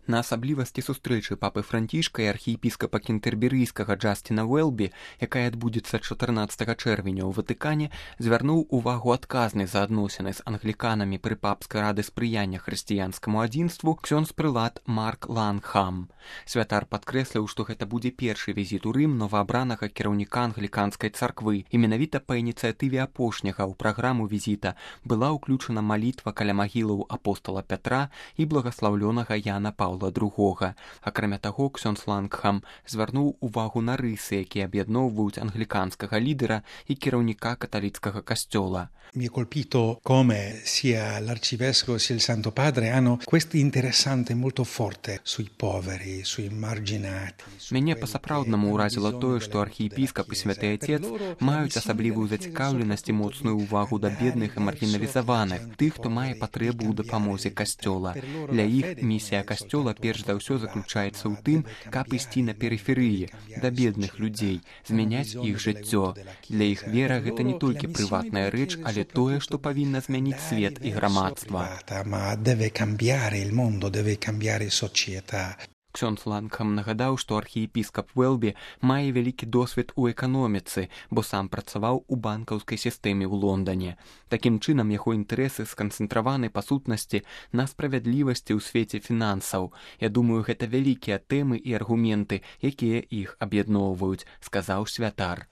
На асаблівасці сустрэчы папы Францішка і архіепіскапа кентэрберыйскага Джасціна Уэлбі, якая адбудзецца 14 чэрвеня ў Ватыкане, звярнуў увагу адказны за адносіны з англіканамі пры папскай рады спрыяння хрысціянскаму адзінству ксёндз-прылад Марк Лангхам. Святар падкрэсліў, што гэта будзе першы візіт у Рым новаабранага кіраўніка англіканскай царквы, і менавіта па ініцыятыве апошняга ў праграму візіта была ўключана малітва каля магілаў апостала Пятра і благаслаўлёнага Яна Паўла II. Акрамя таго, ксёндз Лангхам звярнуў увагу на рысы, якія аб'ядноўваюць англіканскага лідера і кіраўніка каталіцкага касцёла. Mi ha colpito come sia l'arcivescovo sia il Santo Padre hanno questo interessante molto forte sui poveri, sui marginati. Мяне па-сапраўднаму ўразіла тое, што архіепіскап і святы Отец маюць асаблівую зацікаўленасць і моцную ўвагу да бедных і маргіналізаваных, тых, хто мае патрэбу ў дапамозе касцёла. Для іх місія касцёла перш за ўсё заключаецца ў тым, каб ісці на перыферыі, да бедных людзей, змяняць іх жыццё. Для іх вера гэта не толькі прыватная рэч, але тое, што павінна змяніць свет і грамадства. Ксёндз Лангхам нагадаў, што архіепіскап Уэлбі мае вялікі досвед у эканоміцы, бо сам працаваў у банкаўскай сістэме ў Лондане. Такім чынам, яго інтарэсы сканцэнтраваны па сутнасці на справядлівасці ў свеце фінансаў. Я думаю, гэта вялікія тэмы і аргументы, якія іх аб'ядноўваюць, сказаў святар.